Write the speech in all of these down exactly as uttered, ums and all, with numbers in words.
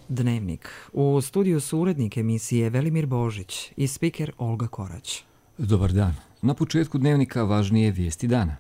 Dnevnik. U studiju su urednik emisije Velimir Božić i spiker Olga Korać. Dobar dan. Na početku Dnevnika važnije vijesti dana.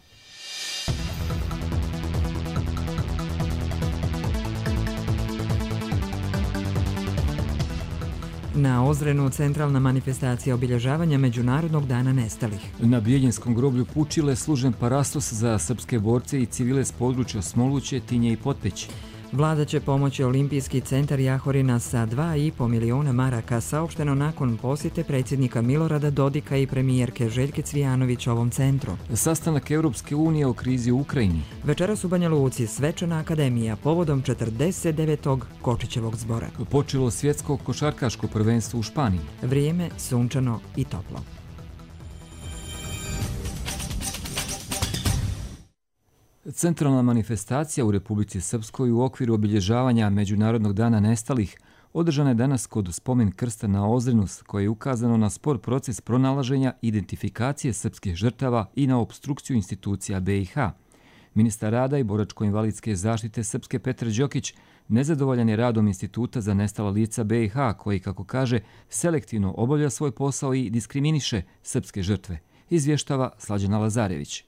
Na Ozrenu centralna manifestacija obilježavanja Međunarodnog dana nestalih. Na Bijeljinskom groblju Pučile služen parastos za srpske borce i civile s područja Smoluće, Tinje i Potpeći. Vlada će pomoći Olimpijski centar Jahorina sa dva i po miliona maraka, saopšteno nakon posjete predsjednika Milorada Dodika i premijerke Željke Cvijanović ovom centru. Sastanak Europske unije o krizi u Ukrajini. Večeras u Banja Luci svečana akademija povodom četrdeset devetog Kočićevog zbora. Počelo svjetsko košarkaško prvenstvo u Španiji. Vrijeme sunčano i toplo. Centralna manifestacija u Republici Srpskoj u okviru obilježavanja Međunarodnog dana nestalih održana je danas kod spomen krsta na Ozrenu, koje je ukazano na spor proces pronalaženja identifikacije srpskih žrtava i na opstrukciju institucija B i H. Ministar rada i boračko-invalidske zaštite Srpske Petar Đokić nezadovoljan je radom Instituta za nestala lica B i H, koji, kako kaže, selektivno obavlja svoj posao i diskriminiše srpske žrtve, izvještava Slađana Lazarević.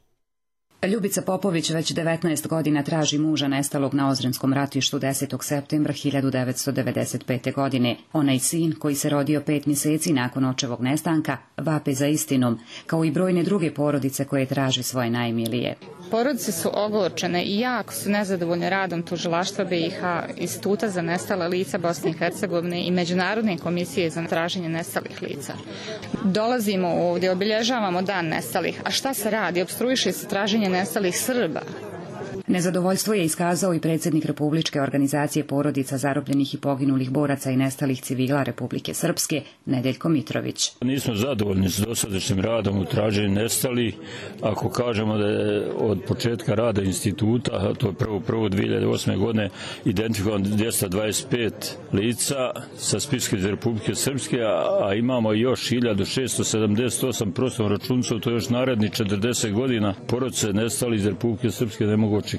Ljubica Popović već devetnaest godina traži muža nestalog na Ozrenskom ratištu desetog septembra hiljadu devetsto devedeset pete. godine. Onaj sin, koji se rodio pet mjeseci nakon očevog nestanka, vape za istinom, kao i brojne druge porodice koje traže svoje najmilije. Porodice su ogorčene i jako su nezadovoljne radom tužilaštva B i H, Instituta za nestala lica Bosne i Hercegovine i Međunarodne komisije za traženje nestalih lica. Dolazimo ovdje, obilježavamo dan nestalih, a šta se radi? Opstruiše se traženje nestalih Srba. Nezadovoljstvo je iskazao i predsjednik Republičke organizacije porodica zarobljenih i poginulih boraca i nestalih civila Republike Srpske, Nedeljko Mitrović. Nismo zadovoljni s dosadašnjim radom u traženju nestalih. Ako kažemo da je od početka rada instituta, to je prvo prvo dvije hiljade osme. godine, identifikovan dvjesto dvadeset pet lica sa spiska iz Republike Srpske, a imamo još hiljadu šesto sedamdeset osam prostom računcov, to je još naredni četrdeset godina. Porodice nestali iz Republike Srpske ne mogu očekivati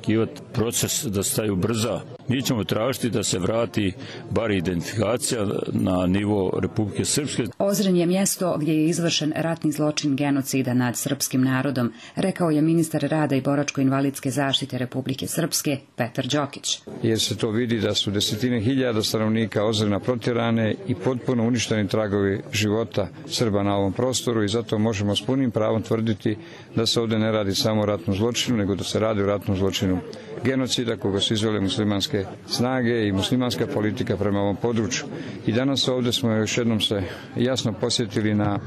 proces da staju brza. Mi ćemo tražiti da se vrati bar identifikacija na nivo Republike Srpske. Ozren je mjesto gdje je izvršen ratni zločin genocida nad srpskim narodom, rekao je ministar rada i boračko-invalidske zaštite Republike Srpske Petar Đokić. Jer se to vidi da su desetine hiljada stanovnika Ozrena protjerane i potpuno uništeni tragovi života Srba na ovom prostoru i zato možemo s punim pravom tvrditi da se ovdje ne radi samo o ratnom zločinu, nego da se radi o ratnom zločinu genocida koga su izvele muslimanske snage i muslimanska politika prema ovom području. I danas ovdje smo još jednom se jasno posjetili na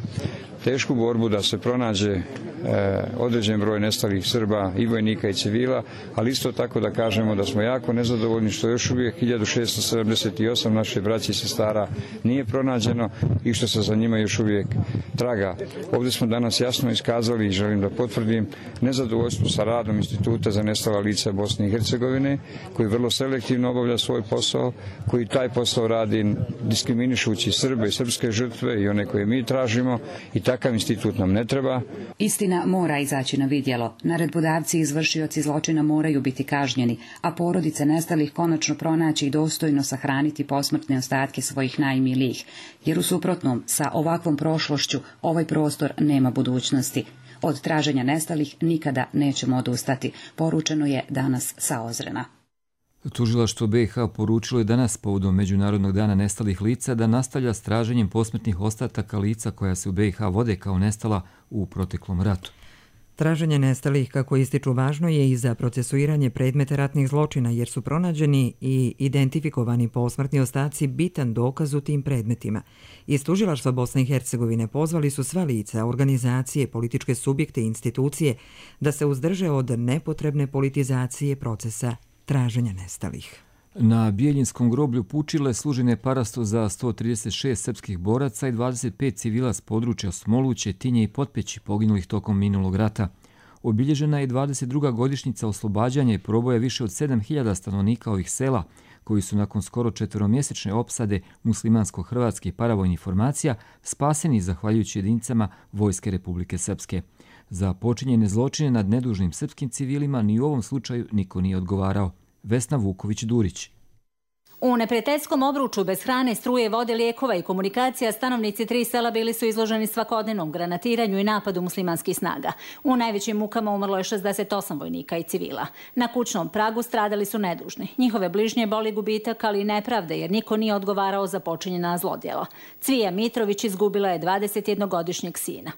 tešku borbu da se pronađe e, određen broj nestalih Srba i vojnika i civila, ali isto tako da kažemo da smo jako nezadovoljni što još uvijek hiljadu šesto sedamdeset osam naše braće i sestara nije pronađeno i što se za njima još uvijek traga. Ovdje smo danas jasno iskazali i želim da potvrdim nezadovoljstvo sa radom Instituta za nestala lica Bosne i Hercegovine, koji vrlo selektivno obavlja svoj posao, koji taj posao radi diskriminišući Srbe i srpske žrtve i one koje mi tražimo, i takav institut nam ne treba. Istina mora izaći na vidjelo. Naredbodavci i izvršioci zločina moraju biti kažnjeni, a porodice nestalih konačno pronaći i dostojno sahraniti posmrtne ostatke svojih najmilijih, jer u suprotnom sa ovakvom prošlošću ovaj prostor nema budućnosti. Od traženja nestalih nikada nećemo odustati, poručeno je danas sa Ozrena. Tužilaštvo B i H poručilo je danas povodom Međunarodnog dana nestalih lica da nastavlja s traženjem posmrtnih ostataka lica koja se u B i H vode kao nestala u proteklom ratu. Traženje nestalih, kako ističu, važno je i za procesuiranje predmeta ratnih zločina, jer su pronađeni i identifikovani posmrtni ostaci bitan dokaz u tim predmetima. Iz Tužilaštva Bosne i Hercegovine pozvali su sva lica, organizacije, političke subjekte i institucije da se uzdrže od nepotrebne politizacije procesa traženja nestalih. Na Bijeljinskom groblju Pučile služen je parastos za sto trideset šest srpskih boraca i dvadeset pet civila s područja Smoluće, Tinje i Potpeći poginulih tokom minulog rata. Obilježena je dvadeset druga godišnjica oslobađanja i proboja više od sedam hiljada stanovnika ovih sela, koji su nakon skoro četveromjesečne opsade muslimansko-hrvatskih paravojnih formacija spaseni zahvaljujući jedinicama Vojske Republike Srpske. Za počinjene zločine nad nedužnim srpskim civilima ni u ovom slučaju niko nije odgovarao. Vesna Vuković-Durić. U neprijateljskom obruču bez hrane, struje, vode, lijekova i komunikacija stanovnici tri sela bili su izloženi svakodnevnom granatiranju i napadu muslimanskih snaga. U najvećim mukama umrlo je šezdeset osam vojnika i civila. Na kućnom pragu stradali su nedužni. Njihove bližnje boli gubitak, ali i nepravde, jer niko nije odgovarao za počinjena zlodjela. Cvija Mitrović izgubila je dvadesetjednogodišnjeg sina.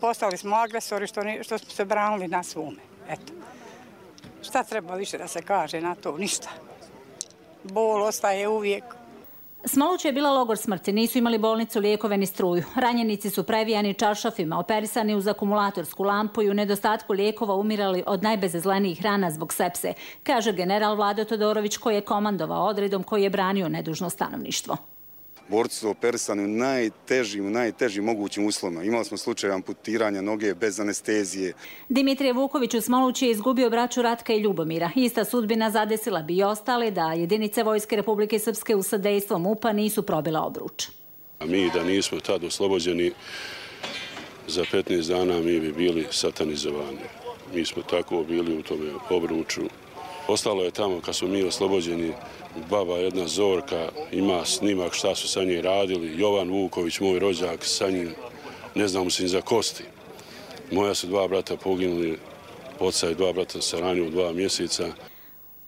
Postali smo agresori što, što smo se branili na svome. Eto. Šta treba više da se kaže na to? Ništa. Bol ostaje uvijek. Smoluća je bila logor smrti, nisu imali bolnicu, lijekove ni struju. Ranjenici su previjani čaršafima, operisani uz akumulatorsku lampu i u nedostatku lijekova umirali od najbezazlenijih rana zbog sepse, kaže general Vlado Todorović koji je komandovao odredom koji je branio nedužno stanovništvo. Borci su operisani u najtežim, u najtežim mogućim uslovima. Imali smo slučaj amputiranja noge bez anestezije. Dimitrije Vuković u Smolući je izgubio braću Ratka i Ljubomira. Ista sudbina zadesila bi i ostale da jedinice Vojske Republike Srpske u sadejstvom M U P-a nisu probile obruč. A mi da nismo tad oslobođeni, za petnaest dana mi bi bili satanizovani. Mi smo tako bili u tome obruču. Ostalo je tamo kad smo mi oslobođeni, baba jedna Zorka ima snimak šta su sa njim radili, Jovan Vuković, moj rođak, sa njim ne znamo se ni za kosti. Moja su dva brata poginuli, oca i dva brata sa ranju u dva mjeseca.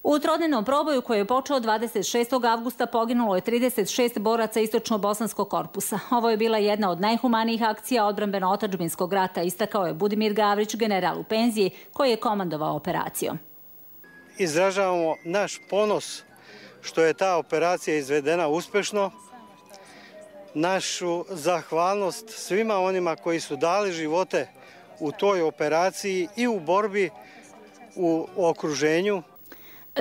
U trodnevnom proboju koji je počeo dvadeset šestog avgusta poginulo je trideset šest boraca Istočno-Bosanskog korpusa. Ovo je bila jedna od najhumanijih akcija odbrambeno-otadžbinskog rata, istakao je Budimir Gavrić, general u penziji, koji je komandovao operacijom. Izražavamo naš ponos što je ta operacija izvedena uspešno, našu zahvalnost svima onima koji su dali živote u toj operaciji i u borbi u okruženju.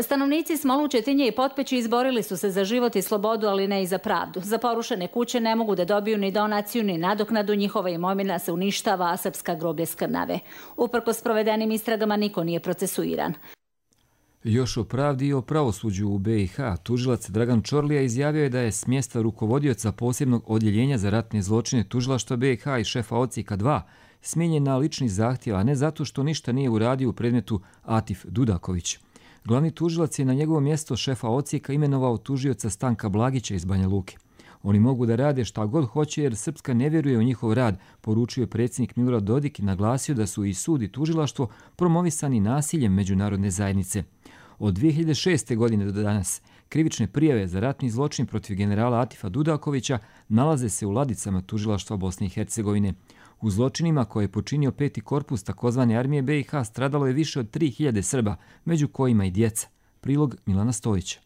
Stanovnici Smoluće, Tinje i Potpeći izborili su se za život i slobodu, ali ne i za pravdu. Za porušene kuće ne mogu da dobiju ni donaciju, ni nadoknadu, njihova imovina se uništava, a srpska groblje skrnave. Uprkos provedenim istragama niko nije procesuiran. Još o pravdi i o pravosuđu u B i H. Tužilac Dragan Čorlija izjavio je da je s mjesta rukovodioca posebnog odjeljenja za ratne zločine tužilaštva B i H i šefa odsjeka dva smijenjen na lični zahtjev, a ne zato što ništa nije uradio u predmetu Atif Dudaković. Glavni tužilac je na njegovo mjesto šefa odsjeka imenovao tužioca Stanka Blagića iz Banja Luke. Oni mogu da rade šta god hoće jer Srpska ne vjeruje u njihov rad, poručio je predsjednik Milorad Dodik i naglasio da su i sud i tužilaštvo promovisani nasiljem međunarodne zajednice. Od dvije hiljade šeste. godine do danas krivične prijave za ratni zločin protiv generala Atifa Dudakovića nalaze se u ladicama tužilaštva Bosne i Hercegovine. U zločinima koje je počinio peti korpus takozvane armije B i H stradalo je više od tri hiljade Srba, među kojima i djeca. Prilog Milana Stojića.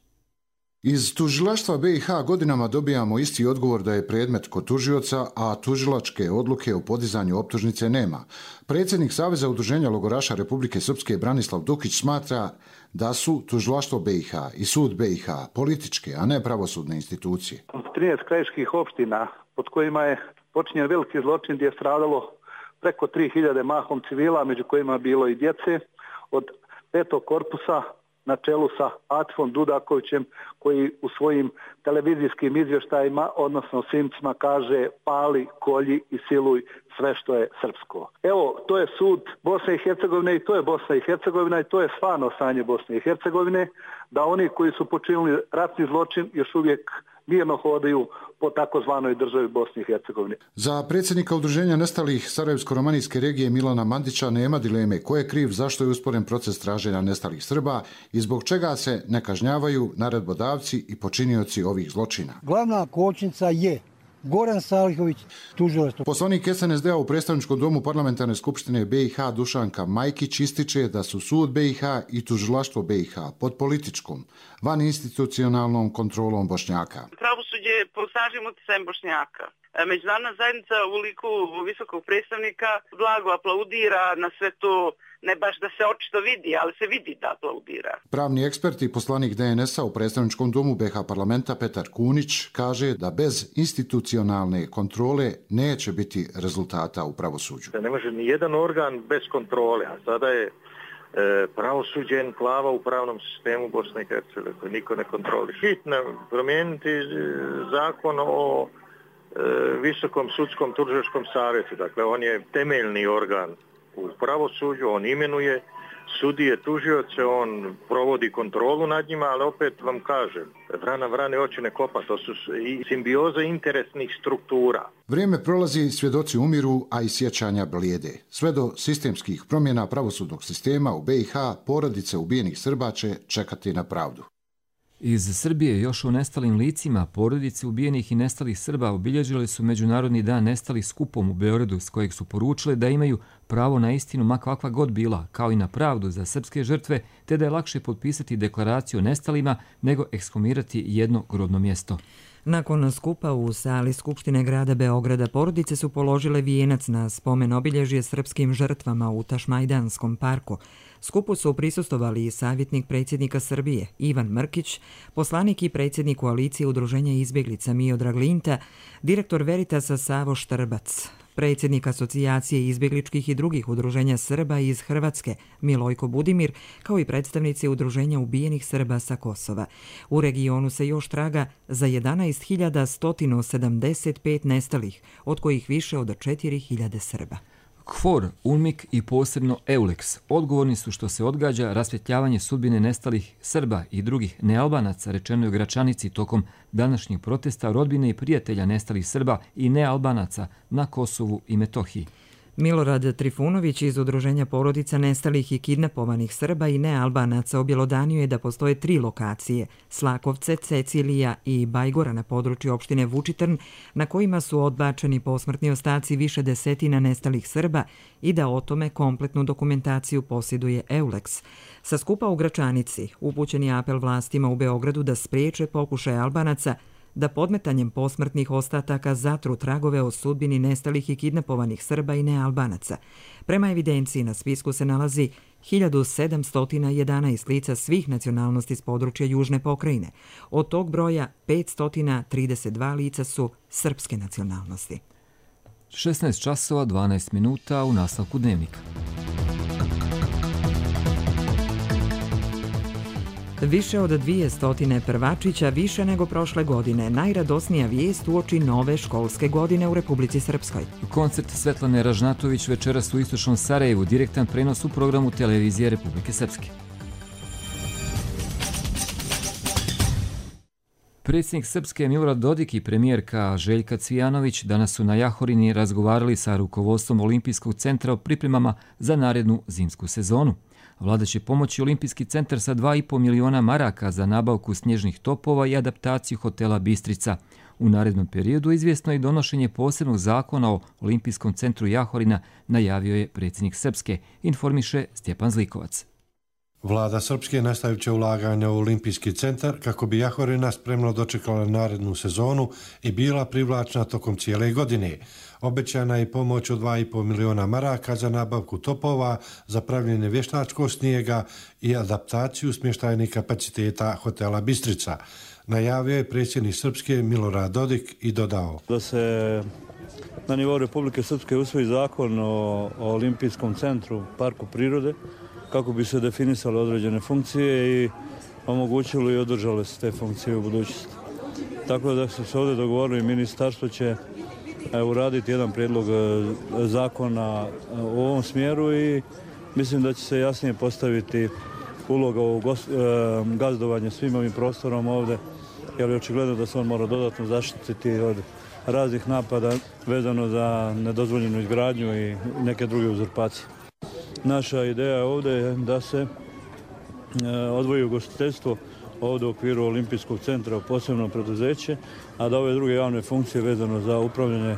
Iz tužilaštva B i H godinama dobijamo isti odgovor da je predmet kod tužioca, a tužilačke odluke o podizanju optužnice nema. Predsjednik Saveza udruženja logoraša Republike Srpske Branislav Dukić smatra da su tužilaštvo B i H i sud B i H političke, a ne pravosudne institucije. trinaest krajiških opština pod kojima je počinjen veliki zločin gdje je stradalo preko tri hiljade mahom civila, među kojima je bilo i djece, od petog korpusa na čelu sa Atifom Dudakovićem koji u svojim televizijskim izvještajima, odnosno snimcima kaže pali, kolji i siluj sve što je srpsko. Evo, to je sud Bosne i Hercegovine i to je Bosna i Hercegovina i to je stvarno stanje Bosne i Hercegovine, da oni koji su počinili ratni zločin još uvijek mirno hodaju po takozvanoj državi Bosne i Hercegovine. Za predsjednika udruženja nestalih Sarajevsko-romanijske regije Milana Mandića nema dileme ko je kriv zašto je usporen proces traženja nestalih Srba i zbog čega se ne kažnjavaju naredbodavci i počinioci ovih zločina. Glavna kočnica je Goran Salihović, tužilaštvo. Poslanik S N S D-a u predstavničkom domu parlamentarne skupštine B i H Dušanka Majkić ističe da su sud B i H i tužilaštvo B i H pod političkom, van institucionalnom kontrolom Bošnjaka. Pravosuđe je pod snažnim utjecajem Bošnjaka. Međunarodna zajednica u liku visokog predstavnika blago aplaudira na sve to, ne baš da se očito vidi, ali se vidi da aplaudira. Pravni ekspert i poslanik D N S-a u predstavničkom domu B i H parlamenta Petar Kunić kaže da bez institucionalne kontrole neće biti rezultata u pravosuđu. Ne može ni jedan organ bez kontrole, a sada je e, pravosuđe enklava u pravnom sistemu Bosne i Hercegovine koji niko ne kontroliše. Hitno promijeniti zakon o Visokom sudskom tužilačkom savjetu. Dakle, on je temeljni organ u pravosuđu, on imenuje sudije, tužioce, on provodi kontrolu nad njima, ali opet vam kažem, vrana vrane oči ne kopa, to su i simbioze interesnih struktura. Vrijeme prolazi, svjedoci umiru, a i sjećanja blijede. Sve do sistemskih promjena pravosudnog sistema u B i H porodice ubijenih Srba će čekati na pravdu. Iz Srbije još o nestalim licima porodice ubijenih i nestalih Srba obilježili su Međunarodni dan nestalih skupom u Beogradu, s kojeg su poručili da imaju pravo na istinu ma kakva god bila, kao i na pravdu za srpske žrtve, te da je lakše potpisati deklaraciju o nestalima nego ekshumirati jedno grobno mjesto. Nakon skupa u sali Skupštine grada Beograda porodice su položile vijenac na spomen obilježje srpskim žrtvama u Tašmajdanskom parku. Skupu su prisustovali i savjetnik predsjednika Srbije Ivan Mrkić, poslanik i predsjednik koalicije Udruženja izbjeglica Miodrag Linta, direktor Veritasa Savo Štrbac, predsjednik asocijacije izbjegličkih i drugih udruženja Srba iz Hrvatske Milojko Budimir, kao i predstavnici udruženja ubijenih Srba sa Kosova. U regionu se još traga za jedanaest hiljada sto sedamdeset pet nestalih, od kojih više od četiri hiljade Srba. KFOR, UNMIK i posebno EULEX odgovorni su što se odgađa rasvjetljavanje sudbine nestalih Srba i drugih nealbanaca, rečeno je u Gračanici tokom današnjeg protesta rodbine i prijatelja nestalih Srba i nealbanaca na Kosovu i Metohiji. Milorad Trifunović iz Udruženja porodica nestalih i kidnapovanih Srba i nealbanaca objelodanio je da postoje tri lokacije, Slakovce, Cecilija i Bajgora na području opštine Vučitrn, na kojima su odbačeni posmrtni ostaci više desetina nestalih Srba i da o tome kompletnu dokumentaciju posjeduje EULEX. Sa skupa u Gračanici upućen je apel vlastima u Beogradu da spriječe pokušaj Albanaca da podmetanjem posmrtnih ostataka zatru tragove o sudbini nestalih i kidnapovanih Srba i nealbanaca. Prema evidenciji na spisku se nalazi hiljadu sedamsto jedanaest lica svih nacionalnosti s područja Južne pokrajine. Od tog broja petsto trideset dva lica su srpske nacionalnosti. šesnaest časova dvanaest minuta u nastavku dnevnika. Više od dvjesto prvačića, više nego prošle godine. Najradosnija vijest uoči nove školske godine u Republici Srpskoj. Koncert Svetlane Ražnatović večeras u istočnom Sarajevu, direktan prenos u programu televizije Republike Srpske. Predsjednik Srpske Milorad Dodik i premijerka Željka Cvijanović danas su na Jahorini razgovarali sa rukovodstvom Olimpijskog centra o pripremama za narednu zimsku sezonu. Vlada će pomoći Olimpijski centar sa dva i po miliona maraka za nabavku snježnih topova i adaptaciju hotela Bistrica. U narednom periodu izvjesno je donošenje posebnog zakona o Olimpijskom centru Jahorina, najavio je predsjednik Srpske, informiše Stjepan Zlikovac. Vlada Srpske nastavit će ulaganja u Olimpijski centar kako bi Jahorina spremno dočekala narednu sezonu i bila privlačna tokom cijele godine. Obećana je pomoć od dva i po miliona maraka za nabavku topova, za pravljenje vještačkog snijega i adaptaciju smještajnih kapaciteta hotela Bistrica. Najavio je predsjednik Srpske Milorad Dodik i dodao da se na nivou Republike Srpske usvoji zakon o, o Olimpijskom centru, parku prirode, kako bi se definisale određene funkcije i omogućilo i održale se te funkcije u budućnosti. Tako da su se ovdje dogovorili, ministarstvo će uraditi jedan prijedlog zakona u ovom smjeru i mislim da će se jasnije postaviti uloga u gazdovanje svim ovim prostorom ovdje, jer je očigledno da se on mora dodatno zaštititi od raznih napada vezano za nedozvoljenu izgradnju i neke druge uzurpacije. Naša ideja ovdje je da se odvoji ugostiteljstvo ovdje u okviru Olimpijskog centra u posebno preduzeće, a da ove druge javne funkcije vezano za upravljanje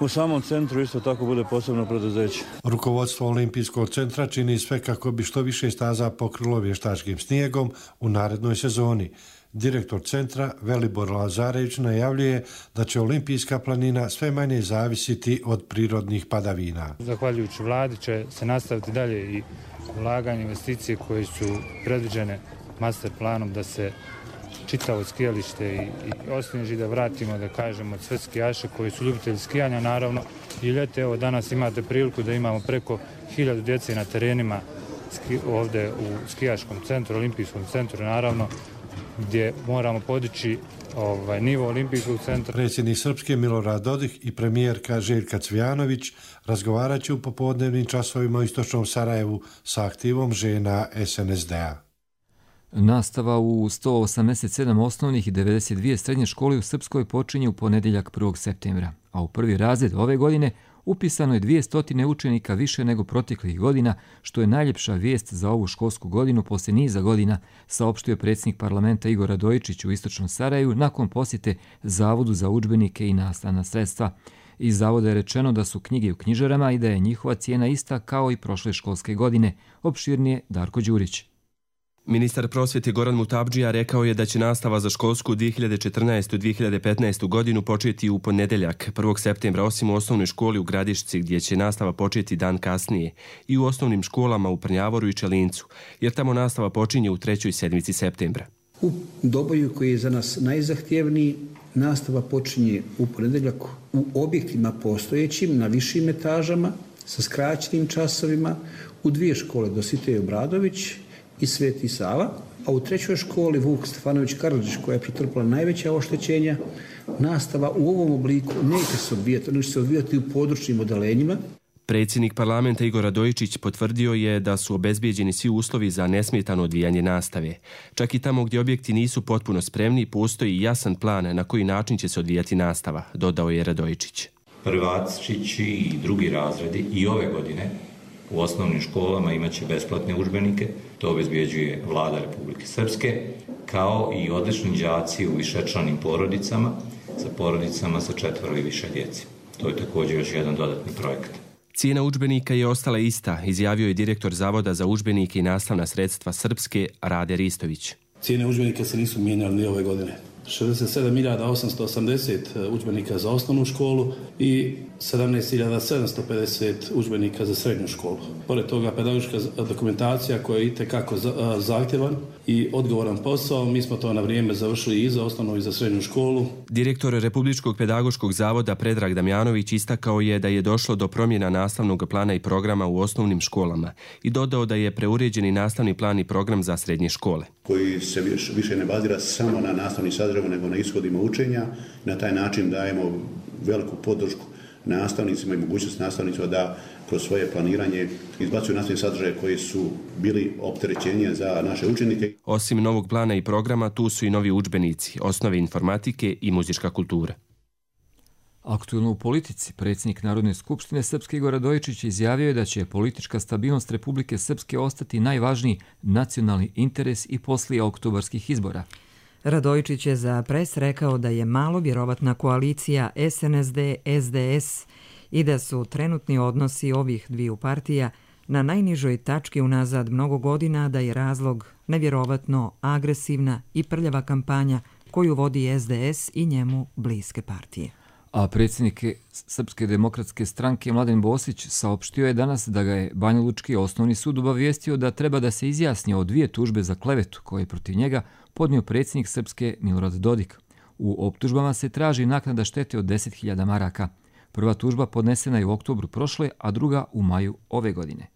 u samom centru isto tako bude posebno preduzeće. Rukovodstvo Olimpijskog centra čini sve kako bi što više staza pokrilo vještačkim snijegom u narednoj sezoni. Direktor centra Velibor Lazarević najavljuje da će Olimpijska planina sve manje zavisiti od prirodnih padavina. Zahvaljujući vladi će se nastaviti dalje i ulaganje investicije koje su predviđene master planom da se čitavo skijalište i, i osnježi, da vratimo, da kažemo, sve skijaše koji su ljubitelji skijanja, naravno i ljete. Evo danas imate priliku da imamo preko hiljadu djece na terenima ski, ovdje u skijaškom centru, Olimpijskom centru, naravno gdje moramo podići ovaj, nivo olimpijskog centra. Predsjednik Srpske Milorad Dodik i premijerka Željka Cvijanović razgovarat će u popodnevnim časovima u istočnom Sarajevu sa aktivom žena S N S D-a. Nastava u sto osamdeset sedam osnovnih i devedeset dvije srednje škole u Srpskoj počinje u ponedjeljak prvog septembra, a u prvi razred ove godine upisano je dvjesto učenika više nego proteklih godina, što je najljepša vijest za ovu školsku godinu poslije niza godina, saopštio predsjednik parlamenta Igor Radojičić u istočnom Sarajevu nakon posjete Zavodu za udžbenike i nastavna sredstva. Iz zavoda je rečeno da su knjige u knjižarama i da je njihova cijena ista kao i prošle školske godine. Opširnije Darko Đurić. Ministar prosvjete Goran Mutabdžija rekao je da će nastava za školsku dvije hiljade četrnaestu dvije hiljade petnaestu godinu početi u ponedjeljak prvog septembra, osim u osnovnoj školi u Gradišci gdje će nastava početi dan kasnije, i u osnovnim školama u Prnjavoru i Čelincu, jer tamo nastava počinje u trećoj sedmici septembra. U Doboju, koji je za nas najzahtjevniji, nastava počinje u ponedjeljak u objektima postojećim na višim etažama sa skraćenim časovima u dvije škole, Dositej Obradović i Sveti Sava, a u trećoj školi Vuk Stefanović Karadžić, koja je pretrpila najveća oštećenja, nastava u ovom obliku neće se odvijati, ono će se odvijati u područnim odelenjima. Predsjednik parlamenta Igor Radojičić potvrdio je da su obezbijeđeni svi uslovi za nesmetano odvijanje nastave. Čak i tamo gdje objekti nisu potpuno spremni, postoji jasan plan na koji način će se odvijati nastava, dodao je Radojičić. Prvačići i drugi razredi i ove godine u osnovnim školama imaće besplatne udžbenike, to obezbjeđuje Vlada Republike Srpske, kao i odlični đaci u višečlanim porodicama, sa porodicama sa četvoro i više djece. To je također još jedan dodatni projekat. Cijena udžbenika je ostala ista, izjavio je direktor Zavoda za udžbenike i nastavna sredstva Srpske Rade Ristović. Cijene udžbenika se nisu mijenjali ni ove godine. šezdeset sedam hiljada osamsto osamdeset udžbenika za osnovnu školu i sedamnaest hiljada sedamsto pedeset udžbenika za srednju školu. Pored toga, pedagoška dokumentacija koja je itekako zahtjevan i odgovoran posao, mi smo to na vrijeme završili i za osnovnu i za srednju školu. Direktor Republičkog pedagoškog zavoda Predrag Damjanović istakao je da je došlo do promjena nastavnog plana i programa u osnovnim školama i dodao da je preuređeni nastavni plan i program za srednje škole, koji se više ne bazira samo na nastavni sadržaj, nego na ishodima učenja. Na taj način dajemo veliku podršku nastavnicima i mogućnost nastavnicima da kroz svoje planiranje izbacuju nastavne sadržaje koji su bili opterećenje za naše učenike. Osim novog plana i programa, tu su i novi udžbenici, osnove informatike i muzička kultura. Aktuelno u politici, predsjednik Narodne skupštine Srpske Igor Radojičić izjavio je da će politička stabilnost Republike Srpske ostati najvažniji nacionalni interes i poslije oktobarskih izbora. Radojičić je za Pres rekao da je malo vjerovatna koalicija S N S D S D S i da su trenutni odnosi ovih dviju partija na najnižoj tački unazad mnogo godina, da je razlog nevjerovatno agresivna i prljava kampanja koju vodi S D S i njemu bliske partije. A predsjednik Srpske demokratske stranke Mladen Bosić saopštio je danas da ga je Banjalučki osnovni sud obavijestio da treba da se izjasni o dvije tužbe za klevetu koje je protiv njega podnio predsjednik Srpske Milorad Dodik. U optužbama se traži naknada štete od deset hiljada maraka. Prva tužba podnesena je u oktobru prošle, a druga u maju ove godine.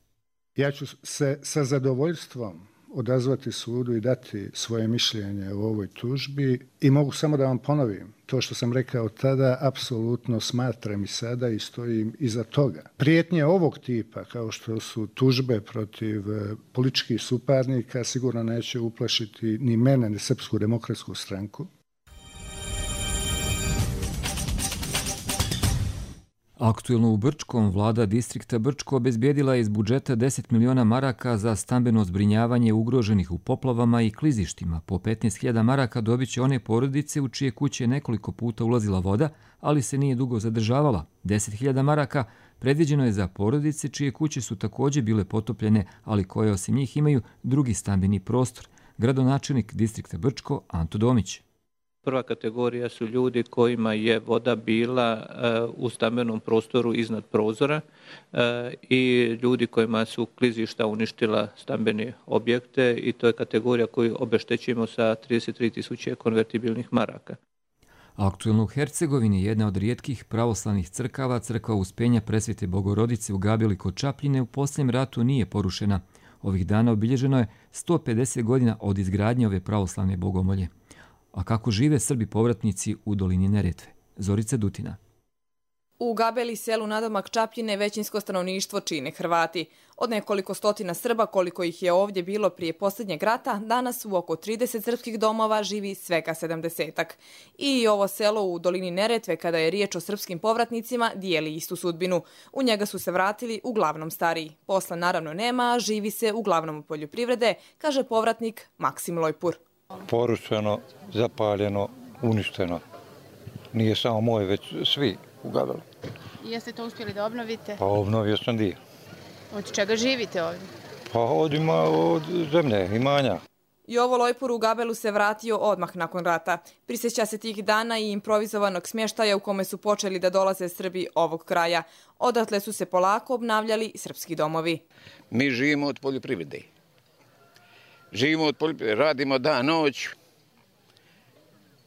Ja ću se sa zadovoljstvom odazvati sudu i dati svoje mišljenje o ovoj tužbi i mogu samo da vam ponovim to što sam rekao tada, apsolutno smatram i sada i stojim iza toga. Prijetnje ovog tipa, kao što su tužbe protiv političkih suparnika, sigurno neće uplašiti ni mene, ni Srpsku demokratsku stranku. Aktuelno u Brčkom, vlada distrikta Brčko obezbijedila je iz budžeta deset miliona maraka za stambeno zbrinjavanje ugroženih u poplavama i klizištima. Po petnaest hiljada maraka dobit će one porodice u čije kuće nekoliko puta ulazila voda, ali se nije dugo zadržavala. deset hiljada maraka predviđeno je za porodice čije kuće su također bile potopljene, ali koje osim njih imaju drugi stambeni prostor. Gradonačelnik distrikta Brčko Anto Domić. Prva kategorija su ljudi kojima je voda bila uh, u stambenom prostoru iznad prozora uh, i ljudi kojima su klizišta uništila stambene objekte i to je kategorija koju obeštećujemo sa trideset tri tisuće konvertibilnih maraka. Aktuelno u Hercegovini jedna od rijetkih pravoslavnih crkava, crkva Uspenja Presvete Bogorodice u Gabeli kod Čapljine, u posljednjem ratu nije porušena. Ovih dana obilježeno je sto pedeset godina od izgradnje ove pravoslavne bogomolje. A kako žive Srbi povratnici u dolini Neretve? Zorica Dutina. U Gabeli, selu nadomak Čapljine, većinsko stanovništvo čine Hrvati. Od nekoliko stotina Srba, koliko ih je ovdje bilo prije posljednjeg rata, danas u oko trideset srpskih domova živi svega sedamdesetak. I ovo selo u dolini Neretve, kada je riječ o srpskim povratnicima, dijeli istu sudbinu. U njega su se vratili uglavnom stariji. Posla naravno nema, a živi se uglavnom u poljoprivrede, kaže povratnik Maksim Lojpur. Porušeno, zapaljeno, uništeno. Nije samo moje, već svi u Gabelu. Jeste to uspjeli da obnovite? Pa obnovio sam dio. Od čega živite ovdje? Pa od, ima, od zemlje, imanja. Jovo Lojpur u Gabelu se vratio odmah nakon rata. Prisjeća se tih dana i improvizovanog smještaja u kome su počeli da dolaze Srbi ovog kraja. Odatle su se polako obnavljali srpski domovi. Mi živimo od poljoprivrede. Živimo od poljoprivrede, radimo dan, noć.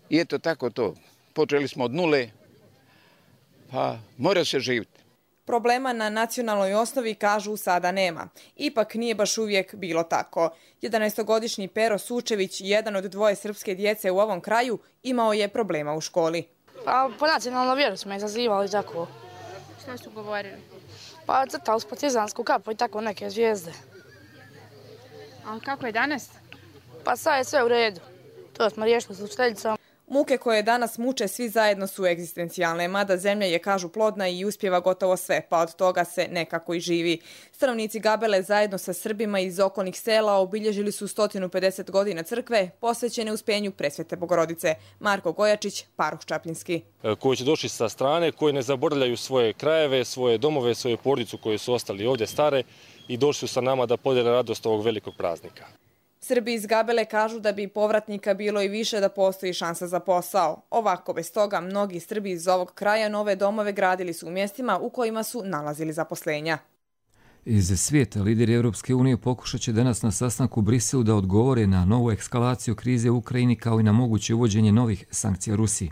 I eto tako to. Počeli smo od nule, pa mora se živjeti. Problema na nacionalnoj osnovi, kažu, sada nema. Ipak nije baš uvijek bilo tako. jedanaestogodišnji Pero Sučević, jedan od dvoje srpske djece u ovom kraju, imao je problema u školi. Pa po nacionalnom vjeru smo izazivali tako. Što su govorili? Pa crtali s partizansku kapu i tako neke zvijezde. A kako je danas? Pa sad je sve u redu. To smo riješili s učiteljicom. Muke koje danas muče svi zajedno su egzistencijalne, mada zemlja je, kažu, plodna i uspjeva gotovo sve, pa od toga se nekako i živi. Stanovnici Gabele zajedno sa Srbima iz okolnih sela obilježili su sto pedeset godina crkve posvećene uspenju Presvete Bogorodice. Marko Gojačić, paroh Čapljinski. Koji će došli sa strane, koji ne zaboravljaju svoje krajeve, svoje domove, svoju porodicu koji su ostali ovdje stare i došli su sa nama da podijele radost ovog velikog praznika. Srbi iz Gabele kažu da bi povratnika bilo i više da postoji šansa za posao. Ovako, bez toga, mnogi Srbi iz ovog kraja nove domove gradili su u mjestima u kojima su nalazili zaposlenja. Iz svijeta, lideri Europske unije pokušat će danas na sastanku u Briselu da odgovore na novu eskalaciju krize u Ukrajini kao i na moguće uvođenje novih sankcija Rusiji.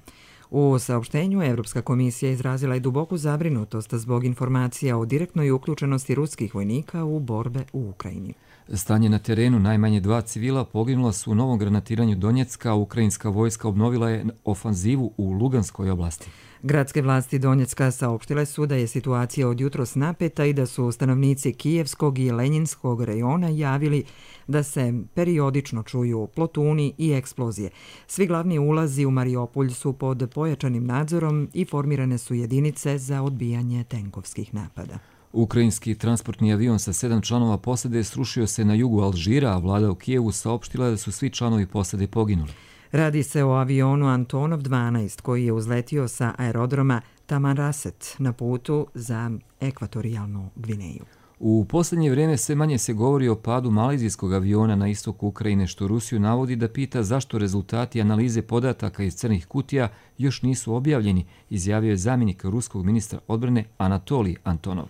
U saopštenju Evropska komisija izrazila je duboku zabrinutost zbog informacija o direktnoj uključenosti ruskih vojnika u borbe u Ukrajini. Stanje na terenu, najmanje dva civila poginula su u novom granatiranju Donjecka, a ukrajinska vojska obnovila je ofanzivu u Luganskoj oblasti. Gradske vlasti Donjecka saopštile su da je situacija od jutros napeta i da su stanovnici Kijevskog i Lenjinskog rejona javili da se periodično čuju plotuni i eksplozije. Svi glavni ulazi u Mariupolj su pod pojačanim nadzorom i formirane su jedinice za odbijanje tenkovskih napada. Ukrajinski transportni avion sa sedam članova posade srušio se na jugu Alžira, a vlada u Kijevu saopštila da su svi članovi posade poginuli. Radi se o avionu Antonov dvanaest koji je uzletio sa aerodroma Tamanrasset na putu za ekvatorijalnu Gvineju. U posljednje vrijeme sve manje se govori o padu malezijskog aviona na istoku Ukrajine, što Rusiju navodi da pita zašto rezultati analize podataka iz crnih kutija još nisu objavljeni, izjavio je zamjenik ruskog ministra odbrane Anatolij Antonov.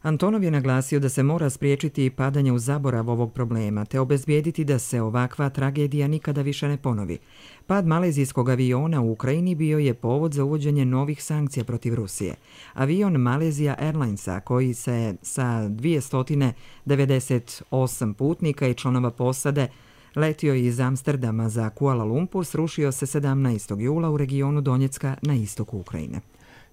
Antonov je naglasio da se mora spriječiti padanje u zaborav ovog problema te obezbijediti da se ovakva tragedija nikada više ne ponovi. Pad malezijskog aviona u Ukrajini bio je povod za uvođenje novih sankcija protiv Rusije. Avion Malaysia Airlinesa, koji se sa dvjesto devedeset osam putnika i članova posade letio iz Amsterdama za Kuala Lumpur, srušio se sedamnaestog jula u regionu Donjecka na istoku Ukrajine.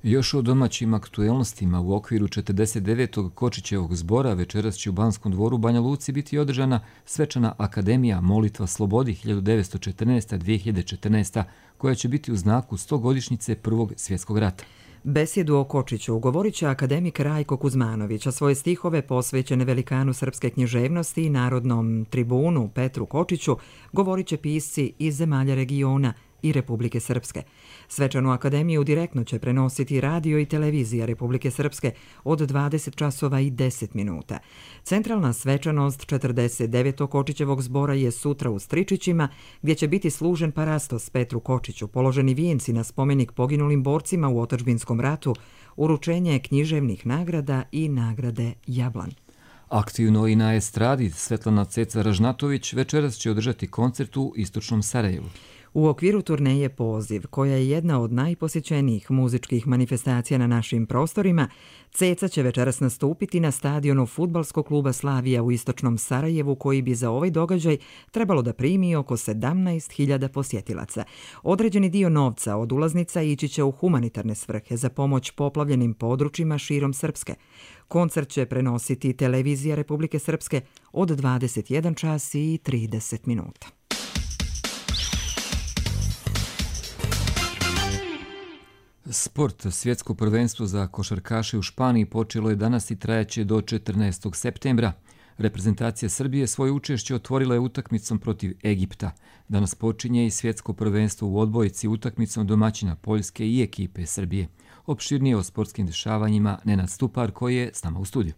Još o domaćim aktuelnostima u okviru četrdeset devetog Kočićevog zbora večeras će u Banskom dvoru Banja Luci biti održana svečana akademija Molitva slobodi hiljadu devetsto četrnaesta do dvije hiljade četrnaeste. koja će biti u znaku stogodišnjice Prvog svjetskog rata. Besjedu o Kočiću govorit će akademik Rajko Kuzmanović, a svoje stihove posvećene velikanu srpske književnosti i narodnom tribunu Petru Kočiću govorit će pisci iz zemalja regiona i Republike Srpske. Svečanu akademiju direktno će prenositi radio i televizija Republike Srpske od dvadeset časova i deset minuta. Centralna svečanost četrdeset devetog Kočićevog zbora je sutra u Stričićima, gdje će biti služen parastos Petru Kočiću, položeni vijenci na spomenik poginulim borcima u otadžbinskom ratu, uručenje književnih nagrada i nagrade Jablan. Aktivno i na estradi Svetlana Ceca Ražnatović večeras će održati koncert u istočnom Sarajevu. U okviru turneje Poziv, koja je jedna od najposjećenijih muzičkih manifestacija na našim prostorima, Ceca će večeras nastupiti na stadionu fudbalskog kluba Slavija u istočnom Sarajevu, koji bi za ovaj događaj trebalo da primi oko sedamnaest hiljada posjetilaca. Određeni dio novca od ulaznica ići će u humanitarne svrhe za pomoć poplavljenim područjima širom Srpske. Koncert će prenositi Televizija Republike Srpske od dvadeset jedan čas i trideset minuta. Sport, svjetsko prvenstvo za košarkaše u Španiji počelo je danas i trajaće do četrnaestog septembra. Reprezentacija Srbije svoje učešće otvorila je utakmicom protiv Egipta. Danas počinje i svjetsko prvenstvo u odbojci utakmicom domaćina Poljske i ekipe Srbije. Opširnije o sportskim dešavanjima Nenad Stupar, koji je s nama u studiju.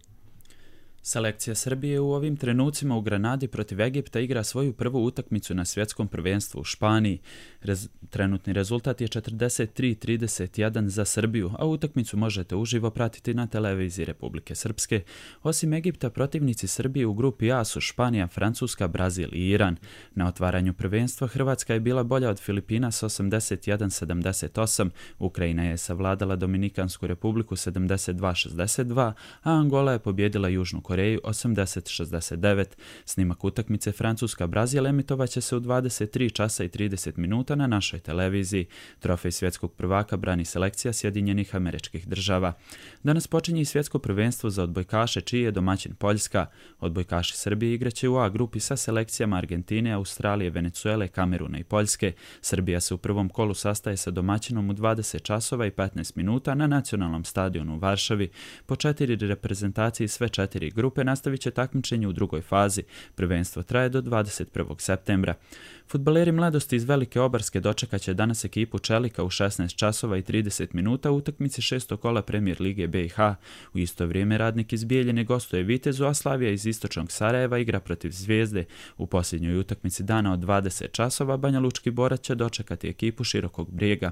Selekcija Srbije u ovim trenucima u Granadi protiv Egipta igra svoju prvu utakmicu na svjetskom prvenstvu u Španiji. Rez, trenutni rezultat je četrdeset tri trideset jedan za Srbiju, a utakmicu možete uživo pratiti na Televiziji Republike Srpske. Osim Egipta, protivnici Srbije u grupi A su Španija, Francuska, Brazil i Iran. Na otvaranju prvenstva Hrvatska je bila bolja od Filipina s osamdeset jedan sedamdeset osam, Ukrajina je savladala Dominikansku republiku sedamdeset dva šezdeset dva, a Angola je pobjedila Južnu Koreju osamdeset šezdeset devet. Snimak utakmice Francuska-Brazil emitovaće se u dvadeset tri časa i trideset minuta na našoj televiziji. Trofej svjetskog prvaka brani selekcija Sjedinjenih Američkih Država. Danas počinje i svjetsko prvenstvo za odbojkaše, čiji je domaćin Poljska. Odbojkaši Srbije igraće u A grupi sa selekcijama Argentine, Australije, Venecuele, Kameruna i Poljske. Srbija se u prvom kolu sastaje sa domaćinom u dvadeset časova i petnaest minuta na nacionalnom stadionu u Varšavi. Po četiri reprezentacije sve četiri grupe nastavit će takmičenje u drugoj fazi. Prvenstvo traje do dvadeset prvog septembra. Fudbaleri mladosti iz Velike Obarske dočekaće danas ekipu Čelika u šesnaest časova i trideset minuta u utakmici šestog kola Premijer Lige B i H. U isto vrijeme Radnik iz Bijeljine gostuje Vitezu, a Slavija iz istočnog Sarajeva igra protiv Zvijezde. U posljednjoj utakmici dana od dvadeset časova Banja Lučki Borac će dočekati ekipu Širokog Brijega.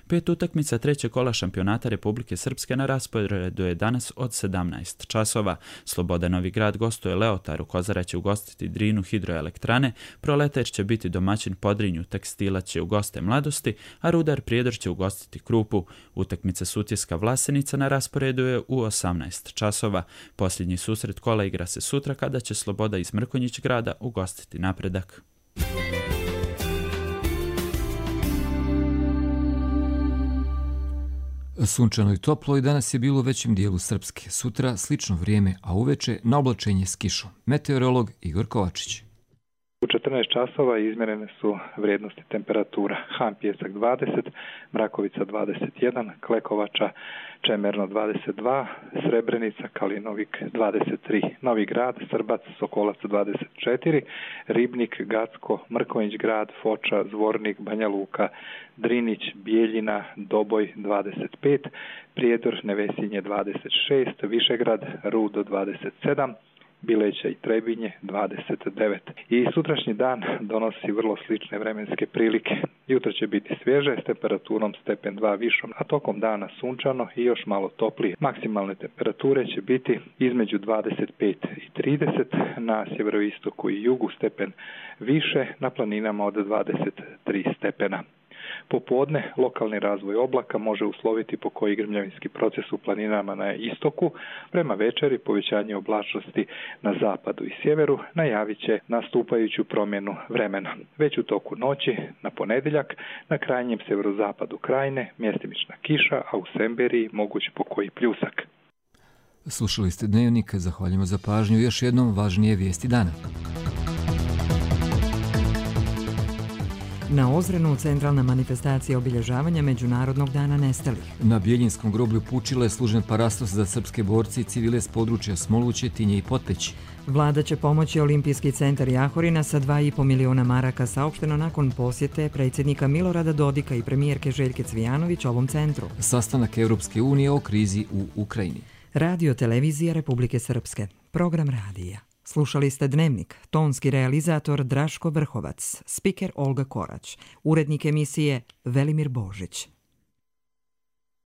Pet utakmica trećeg kola šampionata Republike Srpske na rasporedu je danas od sedamnaest časova. Sloboda Novi Grad gostuje Leotaru, Kozara će ugostiti Drinu hidroelektrane, Proletar će biti domaćin Podrinju, Tekstila će ugoste Mladosti, a Rudar Prijedor će ugostiti Krupu. Utakmica Sutjeska Vlasenica na rasporedu je u osamnaest časova. Posljednji susret kola igra se sutra kada će Sloboda iz Mrkonjić grada ugostiti Napredak. Sunčano i toplo i danas je bilo u većem dijelu Srpske. Sutra slično vrijeme, a uveče na oblačenje s kišom. Meteorolog Igor Kovačić. U četrnaest časova izmjerene su vrijednosti temperatura. Han Pijesak dvadeset, Mrakovica dvadeset jedan, Klekovača Čemerno dvadeset dva, Srebrenica, Kalinovik dvadeset tri, Novi Grad, Srbac, Sokolac dvadeset četiri, Ribnik, Gacko, Mrkonjić grad, Foča, Zvornik, Banja Luka, Drinić, Bijeljina, Doboj dvadeset pet, Prijedor, Nevesinje dvadeset šest, Višegrad, Rudo dvadeset sedam, Bileća i Trebinje dvadeset devet. I sutrašnji dan donosi vrlo slične vremenske prilike. Jutro će biti svježe s temperaturom stepen dva višom, a tokom dana sunčano i još malo toplije. Maksimalne temperature će biti između dvadeset pet i trideset, na sjeveroistoku i jugu stepen više, na planinama od dvadeset tri stepena. Popodne lokalni razvoj oblaka može usloviti pokoji grmljavinski proces u planinama na istoku. Prema večeri povećanje oblačnosti na zapadu i sjeveru najavit će nastupajuću promjenu vremena. Već u toku noći na ponedjeljak na krajnjem sjeverozapadu krajine mjestimična kiša, a u Semberiji moguć pokoji pljusak. Slušali ste Dnevnik, zahvaljujemo za pažnju. Još jednom važnije vijesti dana. Na Ozrenu centralna manifestacija obilježavanja Međunarodnog dana nestalih. Na Bijeljinskom groblju Pučile služen parastos za srpske borci i civile s područja Smoluće, Tinje i Potpeći. Vlada će pomoći Olimpijski centar Jahorina sa dva i po miliona maraka, saopšteno nakon posjete predsjednika Milorada Dodika i premijerke Željke Cvijanović ovom centru. Sastanak Europske unije o krizi u Ukrajini. Radio Televizija Republike Srpske. Program radija. Slušali ste Dnevnik, tonski realizator Draško Vrhovac, spiker Olga Korać, urednik emisije Velimir Božić.